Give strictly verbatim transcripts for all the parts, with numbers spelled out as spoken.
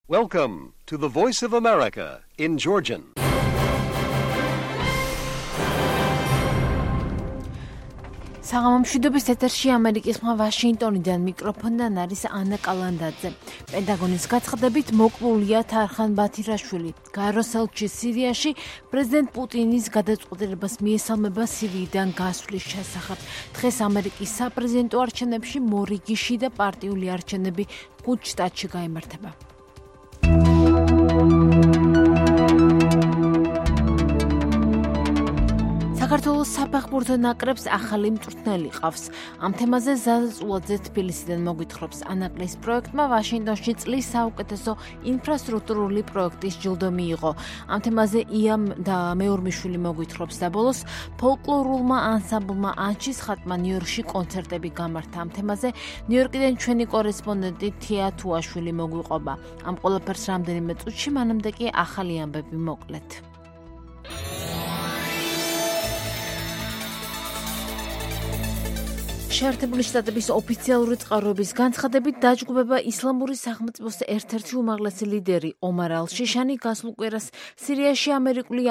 Welcome to the Voice of America in Georgian. საღამომშვიდობის ეთერში ამერიკის ხმა ვაშინგტონიდან მიკროფონიდან არის ანა კალანდაძე. პენტაგონის გაცხადებით მოკლულია თარხან ბათირაშვილი. გაეროს ელჩი სირიაში პრეზიდენტ პუტინის გადაწყვეტილებას მიესალმება სირიიდან გასვლის შესახებ. დღეს ამერიკის საპრეზიდენტო არჩევნებში მორიგიში და პარტიული არჩევნები ხუთ შტატში გაიმართება. საქართველოს საფეხბურთო ნაკრებს ახალი მწვრთნელი ყავს. ამ თემაზე ზაზა წულაძე თბილისიდან მოგვითხრობს. ანაკლის პროექტმა ვაშინგტონში წლის საუკეთესო ინფრასტრუქტურული პროექტის ჯილდო მიიღო. ამ თემაზე იამ და მეორმიშვილი მოგვითხრობს და ბოლოს ფოლკლორულმა ანსამბლმა ანჩის ხატმა ნიუ-იორკში კონცერტები გამართა. ამ თემაზე ნიუ-იორკიდან ჩვენი კორესპონდენტი თია თუაშვილი მოგვიყვება. ამ ყველაფერს რამდენიმე წუთში, მანამდე კი ახალი ამბები მოკლედ. შეერთებული შტატების ოფიციალური წყაროების განცხადებით დაჯგუფება ისლამური სახელმწიფოს ერთ-ერთი უმაღლესი ლიდერი ომარ ალ-შიშანი გასულ კვირას სირიაში ამერიკული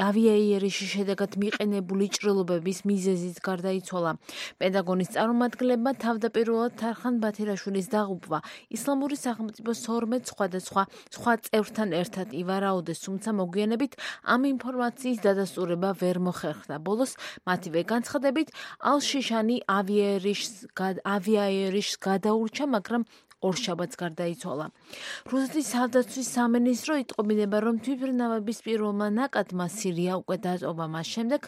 ავიაიერიშის შედეგად მიყენებული ჭრილობების მიზეზით გარდაიცვალა. პენტაგონის წარმომადგენლებმა თავდაპირველად თარხან ბათირაშვილის დაღუპვა ისლამური სახელმწიფოს თორმეტ სხვადასხვა სხვა წევრთან ერთად ივარაუდეს, თუმცა მოგვიანებით ამ ინფორმაციის დადასტურება ვერ მოხერხდა. ბოლოს მათივე განცხადებით ალ-შიშანი ავიაიერიშს გადაურჩა, მაგრამ ორშაბათს გარდაიცვალა. რუსეთის თავდაცვის სამინისტრო იტყობინება, რომ თვითმფრინავების პირველმა ნაკადმა სირია უკვე დატოვა მას შემდეგ,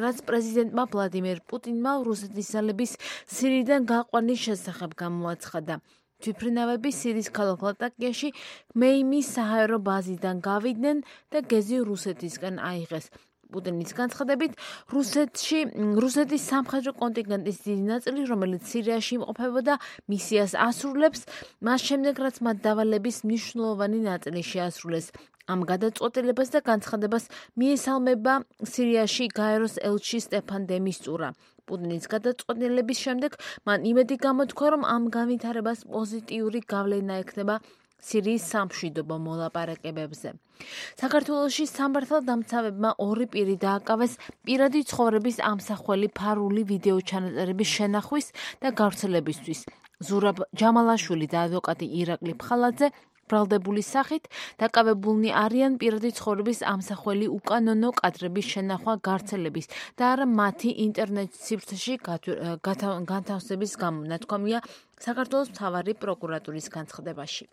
რაც პრეზიდენტმა ვლადიმერ პუტინმა რუსეთის ძალების სირიიდან გაყვანის შესახებ გამოაცხადა. თვითმფრინავები სირიის ქალაქ ლატაკიაში მეიმის საჰაერო ბაზიდან გავიდნენ და გეზი რუსეთისკენ აიღეს. პუტინის განცხადებით, რუსეთში რუსეთის სამხედრო კონტინგენტის დიდი ნაწილი, რომელიც სირიაში იმყოფებოდა, მისიას ასრულებს, მას შემდეგ, რაც მათ დავალების მნიშვნელოვანი ნაწილი შეასრულეს. ამ გადაწყვეტილებას და განცხადებას მიესალმება სირიაში გაეროს ელჩი სტეფან დე მისტურა. პუტინის გადაწყვეტილების შემდეგ მან იმედი გამოთქვა, რომ ამ განვითარებას პოზიტიური გავლენა ექნება სირიის სამშვიდობო მოლაპარაკებებზე. საქართველოში სამართალდამცავებმა ორი პირი დააკავეს პირადი ცხოვრების ამსახველი ფარული ვიდეო ჩანაწერების შენახვის და გავრცელებისთვის. ზურაბ ჯამალაშვილი და ადვოკატი ირაკლი ფხალაძე ბრალდებული სახით დაკავებულნი არიან პირადი ცხოვრების ამსახველი უკანონო კადრების შენახვა გავრცელების და არა მათი ინტერნეტ სივრცეში განთავსების გამო, ნათქვამია საქართველოს მთავარი პროკურატურის განცხადებაში.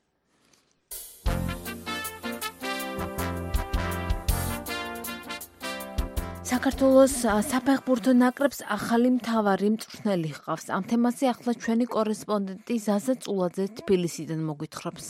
საქართველოს საფეხბურთო ნაკრებს ახალი მთავარი მწვრთნელი ჰყავს. ამ თემაზე ახლა ჩვენი კორესპონდენტი ზაზა წულაძე თბილისიდან მოგვითხრობს.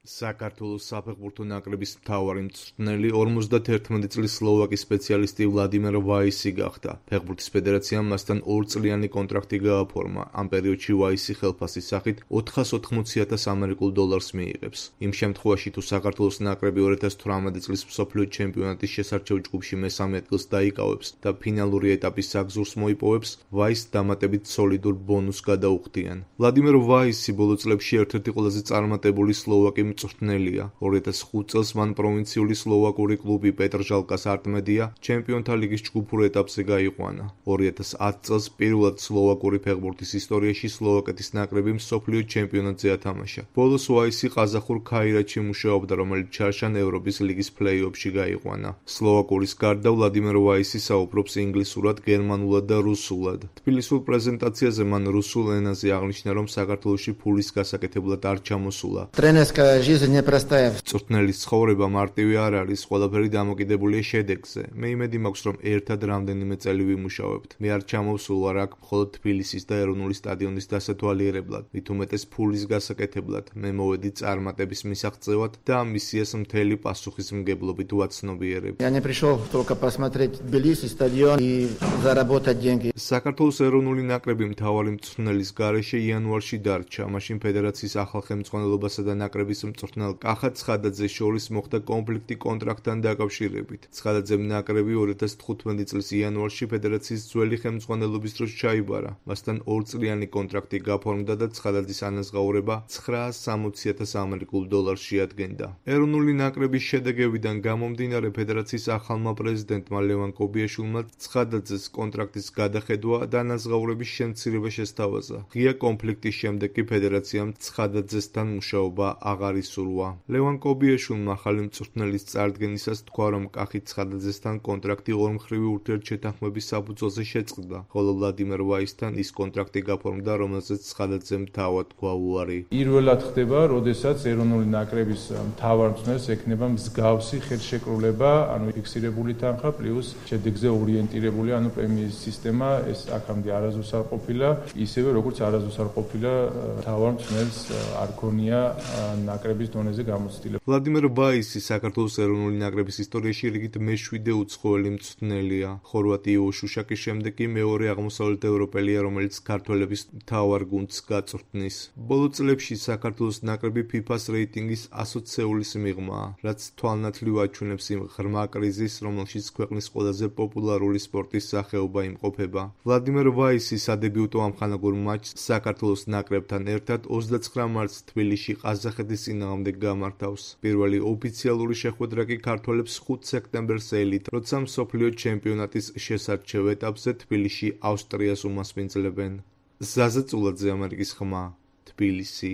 საქართველოს საფეხბურთო ნაკრების მთავარი მწვრთნელი ორმოცდაერთი წლის სლოვაკი სპეციალისტი ვლადიმერ ვაისი გახდა. ფეხბურთის ფედერაციამ მასთან ორწლიანი კონტრაქტი გააფორმა. ამ პერიოდში ვაისი ხელფასის სახით ოთხას ოთხმოცი ათას ამერიკულ დოლარს მიიღებს. იმ შემთხვევაში, თუ საქართველოს ნაკრები ორი ათას თვრამეტი წლის მსოფლიო ჩემპიონატის შესარჩევ ჯგუფში მესამე ადგილს დაიკავებს და ფინალური ეტაპის საგზურს მოიპოვებს, ვაისს დამატებით სოლიდურ ბონუსს გადაუხდიან. ვლადიმერ ვაისი ბოლო წლებში ერთ-ერთი ყველაზე წარმატებული სლოვაკი მწვრთნელია. ორი ათას ხუთ წელს მან პროვინციული სლოვაკური კლუბი პეტრჟალკას არტმედია ჩემპიონთა ლიგის ჯგუფურ ეტაპზე გაიყვანა. ორი ათას ათ წელს პირველად სლოვაკური ფეხბურთის ისტორიაში სლოვაკეთის ნაკრები მსოფლიო ჩემპიონატზე ათამაშა. ბოლოს ვაისი ყაზახურ ქაირათში მუშაობდა, რომელიც ჩარშან ევროპის ლიგის ფლეი-ოფში გაიყვანა. სლოვაკურის გარდა ვლადიმერ ვაისი საუბრობს ინგლისურად, გერმანულად და რუსულად. თბილისურ პრეზენტაციაზე მან რუსულ ენაზე აღნიშნა, რომ საქართველოში ფულის გასაკეთებლად არ ჩამოსულა. მწვრთნელის ცხოვრება მარტივი არ არის, ყველაფერი დამოკიდებულია შედეგზე. მე იმედი მაქვს, რომ ერთად რამდენიმე წელი ვიმუშავებთ. მე არ ჩამოვსულ აქ მხოლოდ თბილისის და ეროვნული სტადიონის დასათვალიერებლად, მით უმეტეს ფულის გასაკეთებლად. მე მოვედი წარმატების მისაღწევად და ამ მისიას მთელი პასუხისმგებლობით ვაცნობიერებ. საქართველოს ეროვნული ნაკრები მთავარი მწვრთნელის გარეშე იანვარში დარჩა. მაშინ ფედერაციის ახალ ხელმძღვანელობასა და ნაკრების მწვრთნელ კახა ცხადაძეს შორის მოხდა კონფლიქტი კონტრაქტთან დაკავშირებით. ცხადაძემ ნაკრები ორი ათას თხუთმეტი წლის იანვარში ფედერაციის ძველი ხელმძღვანელობის დროს ჩაიბარა. მასთან ორწლიანი კონტრაქტი გაფორმდა და ცხადაძის ანაზღაურება ცხრაას სამოცი ათას ამერიკულ დოლარს შეადგენდა. ეროვნული ნაკრების შედეგებიდან გამომდინარე ფედერაციის ახალმა პრეზიდენტმა ლევან კობიაშვილმა ცხადაძეს კონტრაქტის გადახედვა და ანაზღაურების შემცირება შესთავაზა. ღია კონფლიქტის შემდეგ კი ფედერაციამ ცხადაძესთან მუშაობა აღარ ისურვა. ლევან კობიაშვილმა ახალი მწვრთნელის წარდგენისას თქვა, რომ კახით ცხადაძესთან კონტრაქტი ორმხრივი ურთიერთშეთანხმების საფუძველზე შეწყდა, ხოლო ვლადიმერ ვაისთან ის კონტრაქტი გაფორმდა, რომელზეც ცხადაძემ თავად თქვა უარი. პირველად ხდება, როდესაც ეროვნული ნაკრების მთავარ მწვრთნელს ექნება მსგავსი ხელშეკრულება, ანუ ფიქსირებული თანხა პლუს შედეგზე ორიენტირებული, ანუ პრემიის სისტემა, ეს აქამდე არასდროს არ ყოფილა, ისევე როგორც არასდროს არ ყოფილა მთავარ მწვრთნელს არ ქონია ნაკრების დონეზე გამოცდილება. ვლადიმერ ვაისი საქართველოს ეროვნული ნაკრების ისტორიაში რიგით მეშვიდე უცხოელი მწვრთნელია. ხორვატიო შუშაკის შემდეგ კი მეორე აღმოსავლეთევროპელია, რომელიც ქართველების მთავარ გუნდს გაწვრთნის. ბოლო წლებში საქართველოს ნაკრები ფიფას რეიტინგის ასოცეულის მიღმაა, რაც თვალნათლივ აჩვენებს იმ ღრმა კრიზისს, რომელშიც ქვეყნის ყველაზე პოპულარული სპორტის სახეობა იმყოფება. ვლადიმერ ვაისი სადებიუტო ამხანაგურ მატჩს საქართველოს ნაკრებთან ერთად ოცდაცხრა მარტს თბილისში ყაზახეთის წინააღმდეგ გამართავს. პირველი ოფიციალური შეხვედრა კი ქართველებს ხუთ სექტემბერს ელით, როცა მსოფლიო ჩემპიონატის შესარჩევ ეტაპზე თბილისში ავსტრიას უმასპინძლებენ. ზაზა წულაძე, ამერიკის ხმა, თბილისი.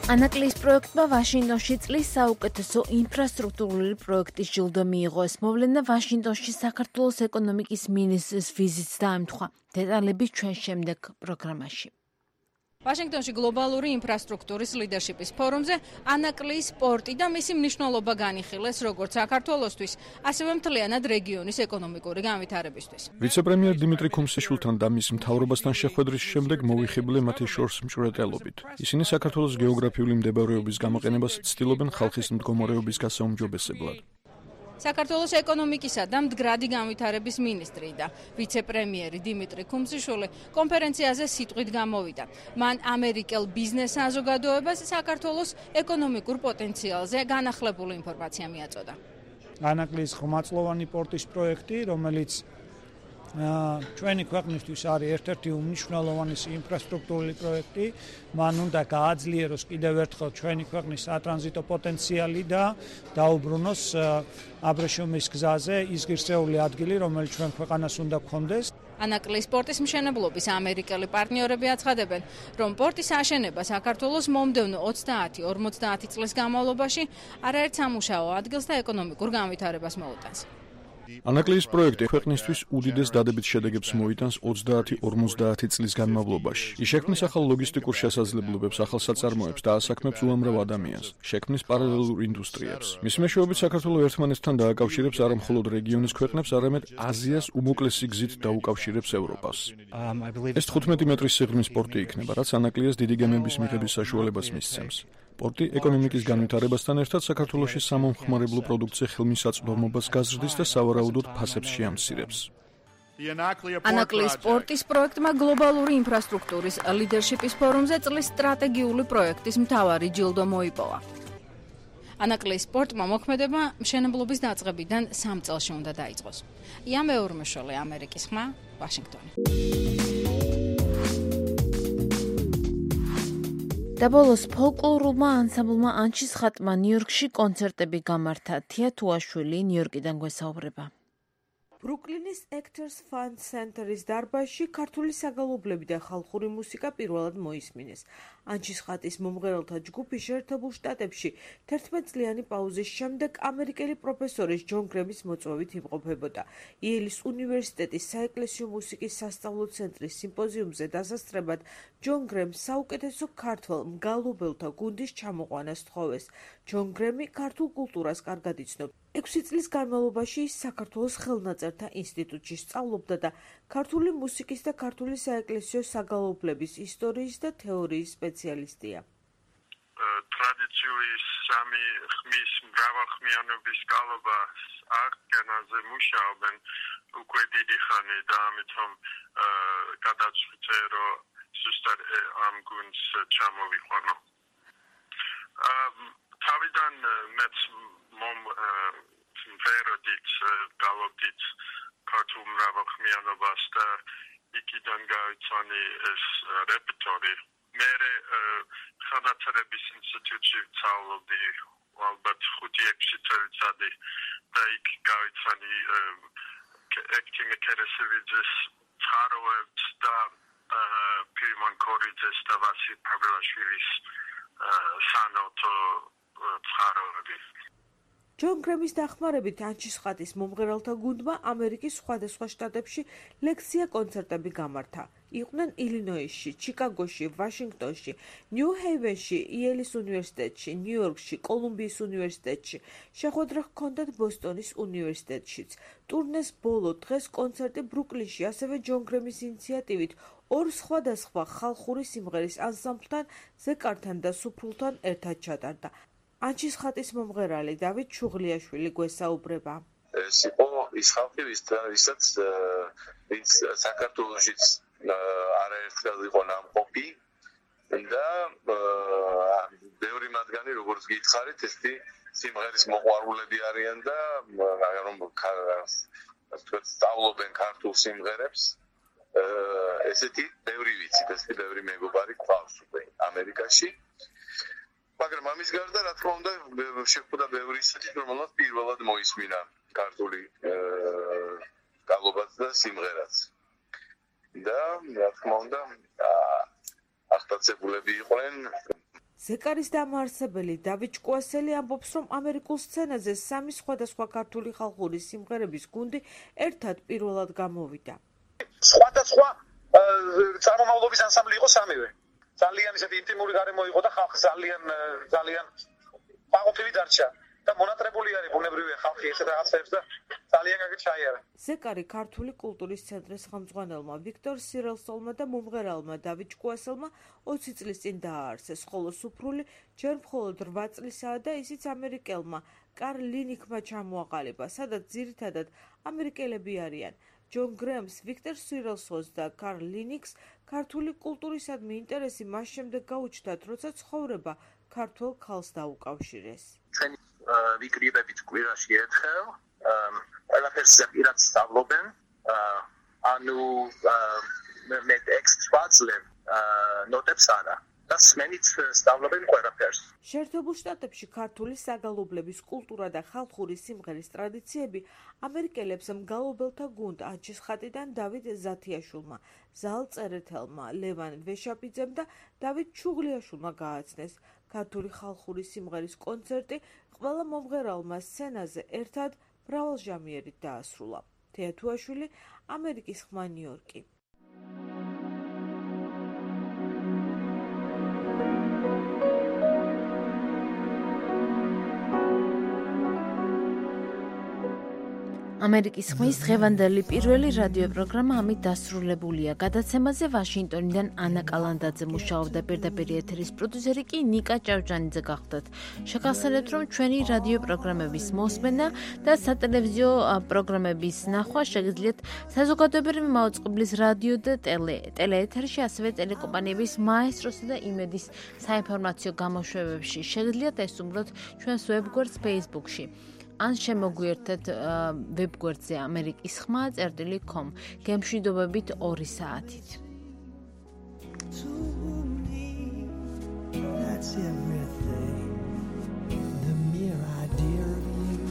ანაკლის პროექტმა ვაშინგტონში წლის საუკეთესო ინფრასტრუქტურული პროექტის ჯილდო მიიღო. ეს მოვლენა ვაშინგტონში საქართველოს ეკონომიკის მინისტრის ვიზიტს დაემთხვა. დეტალები ჩვენ შემდეგ პროგრამაში. ვაშინგტონში გლობალური ინფრასტრუქტურის ლიდერშიპის ფორუმზე ანაკლის სპორტი და მისი მნიშვნელობა განიხილეს როგორც საქართველოსთვის, ასევე მთლიანად რეგიონის ეკონომიკური განვითარებისთვის. ვიცე-პრემიერ დიმიტრი ქუმსიშვილთან და მის მთავრობასთან შეხვედრის შემდეგ მოვიხიბლე მათი შორს მჭვრეტელობით. ისინი საქართველოს გეოგრაფიული მდებარეობის გამოყენებას ცდილობენ ხალხის მდგომარეობის გასაუმჯობესებლად. საქართველოს ეკონომიკისა და მდგრადი განვითარების მინისტრი და ვიცე-პრემიერი დიმიტრი ქუმსიშვილი კონფერენციაზე სიტყვით გამოვიდა. მან ამერიკელ ბიზნეს საზოგადოებას საქართველოს ეკონომიკურ პოტენციალზე განახლებული ინფორმაცია მიაწოდა. ანაკლის ხმაწლოვანი პორტის პროექტი, რომელიც ჩვენი ქვეყნისთვის არის ერთ-ერთი უმნიშვნელოვანესი ინფრასტრუქტურული პროექტი, მან უნდა გააძლიეროს კიდევ ერთხელ ჩვენი ქვეყნის სატრანზიტო პოტენციალი და დაუბრუნოს აბრეშუმის გზაზე ის ღირსეული ადგილი, რომელიც ჩვენ ქვეყანას უნდა გქონდეს. ანაკლის სპორტის მშენებლობის ამერიკელი პარტნიორები აცხადებენ, რომ პორტის აშენება საქართველოს მომდევნო ოცდაათი ორმოცდაათი წლის განმავლობაში არაერთ სამუშაო ადგილს და ეკონომიკურ განვითარებას მოუტანს. ანაკლის პროექტი ქვეყნისთვის უდიდეს დადებით შედეგებს მოიტანს ოცდაათი ორმოცდაათი წლის განმავლობაში. ის შექმნის ახალ ლოგისტიკურ შესაძლებლობებს, ახალ საწარმოებს და ასაქმებს უამრავ ადამიანს, შექმნის პარალელურ ინდუსტრიებს. მის მეშვეობით საქართველოს ერთმანეთთან დააკავშირებს არა მხოლოდ რეგიონის ქვეყნებს, არამედ აზიას უმოკლესი გზით დაუკავშირებს ევროპას. ეს თხუთმეტი მეტრის სიღრმის პორტი იქნება, რაც ანაკლიას დიდი გემების მიღების საშუალებას მისცემს. პორტი ეკონომიკის განვითარებასთან ერთად საქართველოში სამომხმარებლო პროდუქცია ხელმისაწვდომობას გაზრდის და სავარაუდოდ ფასებს შეამცირებს. ანაკლის სპორტის პროექტმა გლობალური ინფრასტრუქტურის ლიდერშიპის ფორუმზე წლის სტრატეგიული პროექტის მთავარი ჯილდო მოიპოვა. ანაკლის სპორტმა მოქმედება მშენებლობის დაწყებიდან სამ წელში უნდა დაიწყოს. ია მეურმეშოლე, ამერიკის ხმა, ვაშინგტონი. და ბოლოს ფოლკლორულმა ანსამბლმა ანჩის ხატმა ნიუ-იორკში კონცერტები გამართა. თია თუაშვილი ნიუ-იორკიდან გვესაუბრება. ბრუკლინის Actors Fund Center-ის დარბაზში ქართული საგალობლები და ხალხური მუსიკა პირველად მოისმინეს. ანჩის ხატის მომღერალთა ჯგუფი შეერთებულ შტატებში თერთმეტწლიანი პაუზის შემდეგ ამერიკელი პროფესორის ჯონ გრემის მოწვევით იმყოფებოდა. იელის უნივერსიტეტის საეკლესიო მუსიკის სასწავლო ცენტრის სიმპოზიუმზე დასასწრებად ჯონ გრემს საუკეთესო ქართველ მგალობელთა გუნდის ჩამოყვანას თხოვეს. ჯონ გრემი ქართულ კულტურას კარგად იცნობს. ექვსი წლის განმავლობაში ის საქართველოს ხელნაწერთა ინსტიტუტში სწავლობდა და ქართული მუსიკის და ქართული საეკლესიო საგალობლების ისტორიის და თეორიის სპეციალისტია. ტრადიციული სამი ხმის მრავალხმიანობის გალობას აღდგენაზე მუშაობენ უკვე დიდი ხანი და ამიტომ გადაწყვიტე, რომ ზუსტად ამ გუნდს ჩამოვიყვანო. თავიდან მეც მომ ვეროდით გალობდით ქართულ მრავალხმიანობას და იქიდან გავიცანი ეს რეპერტორი. მე ხანათარების ინსტიტუტში ვსწავლობდი ალბათ ხუთი ექვსი წელიწადი და იქ გავიცანი ექტინგ კერესევიძის წყაროებს და პირიმონ კორიძეს და ვასილ პავლაშვილის სანოტო წყაროები. ჯონ გრემის დახმარებით ანჩისხატის მომღერალთა გუნდმა ამერიკის სხვადასხვა შტატებში ლექცია კონცერტები გამართა. იყვნენ ილინოისში, ჩიკაგოში, ვაშინგტონში, ნიუ-ჰეივენში, იელის უნივერსიტეტში, ნიუ-იორკში, კოლუმბიის უნივერსიტეტში. შეხვედრა ჰქონდათ ბოსტონის უნივერსიტეტშიც. ტურნეს ბოლო დღეს კონცერტი ბრუკლინში, ასევე ჯონ გრემის ინიციატივით ორ სხვადასხვა ხალხური სიმღერის ანსამბლთან, ზეკართან და სუფრულთან ერთად ჩატარდა. ანჩისხატის მომღერალი დავით შუღლიაშვილი გვესაუბრება. ეს იყო ის ხალხი, ვისაც ვინც საქართველოშიც არაერთხელ იყო ნამყოფი და ბევრი მათგანი, როგორც გითხარით, ესეთი სიმღერის მოყვარულები არიან და რომ სწავლობენ ქართულ სიმღერებს. ესეთი ბევრი ვიცით, ესეთი ბევრი მეგობარი გვყავს უკვე ამერიკაში. მაგრამ ამის გარდა, რა თქმა უნდა, შეხვდა ბევრი ისეთი, რომელსაც პირველად მოისმინა ქართული გალობაც და სიმღერაც. და რა თქმა უნდა, აღტაცებულები იყვნენ. ზეკარის დამაარსებელი დავით ჭკუასელი ამბობს, რომ ამერიკულ სცენაზე სამი სხვადასხვა ქართული ხალხური სიმღერების გუნდი ერთად პირველად გამოვიდა. სხვადასხვა წარმომავლობის ანსამბლი იყო სამივე. ძალიან ისეთი ინტიმური გარემო იყო და ხალხი ძალიან ძალიან გაყოფილი დარჩა და მონატრებული არის ბუნებრივია ხალხი ესეთ რაღაცებს და ძალიან კარგი ჩაიარა. ზეკარი ქართული კულტურის ცენტრის ხელმძღვანელმა ვიქტორ სირელსოლმა და მომღერალმა დავით ჭკუასელმა ოცი წლის წინ დააარსეს, ხოლო სუფრული ჯერ მხოლოდ რვა წლისაა და ისიც ამერიკელმა კარლ ლინიკმა ჩამოაყალიბა, სადაც ძირითადად ამერიკელები არიან. ჯონ გრემს, ვიქტორ სირელსოლს და კარლ ლინიკს ქართული კულტურისადმი ინტერესი მას შემდეგ გაუჩნდათ, როცა ცხოვრება ქართველ ქალს დაუკავშირეს. ჩვენი ვიკრიბებით კვირაში ერთხელ ყველაფერს პირად სწავლობენ, ანუ მე ექსტრაცლებ ნოტებს არა. და სმენით სწავლობენ ყველაფერს. შეერთებულ შტატებში ქართული საგალობლების კულტურა და ხალხური სიმღერის ტრადიციები ამერიკელებს მგალობელთა გუნდ ანჩისხატიდან დავით ზათიაშვილმა, ზალ წერეთელმა, ლევან ვეშაპიძემ და დავით შუღლიაშვილმა გააცნეს. ქართული ხალხური სიმღერის კონცერტი ყველა მომღერალმა სცენაზე ერთად მრავალჟამიერით დაასრულა. თეათუაშვილი, ამერიკის ხმა, ნიუ-იორკი. ამერიკის ხმის დღევანდელი პირველი რადიო პროგრამა ამით დასრულებულია. გადაცემაზე ვაშინგტონიდან ანა კალანდაძე მუშაობდა, პირდაპირ ეთერის პროდიუსერი კი ნიკა ჭავჭანიძე გახდათ. შეგახსენებთ, რომ ჩვენი რადიო პროგრამების მოსმენა და სატელევიზიო პროგრამების ნახვა შეგიძლიათ საზოგადოებრივი მაუწყებლის რადიო და ტელეეთერში, ასევე ტელეკომპანიების მაესტროსა და იმედის საინფორმაციო გამოშვებებში. შეგიძლიათ ესწრებოთ ჩვენს ვებგვერდს Facebook-ში. ან შემოგვიერთეთ ვებგვერდზე ამერიკის ხმა წერტილი კომ გემშვიდობებით ორი საათით. That's everything. The mere idea of you.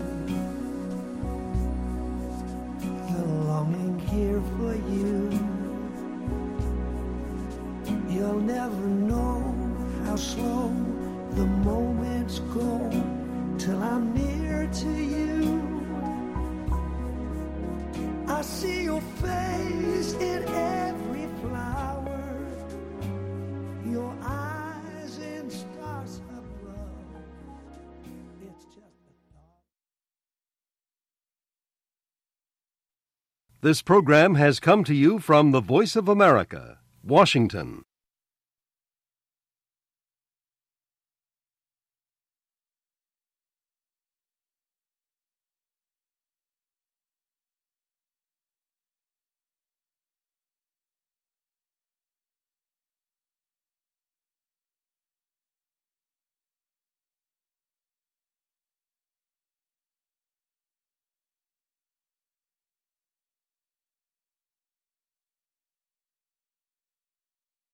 The longing here for you. You'll never know how slow the moments go till I'm near to you. I see your face in every flower, your eyes in stars above. It's just a thought. This program has come to you from the Voice of America, Washington.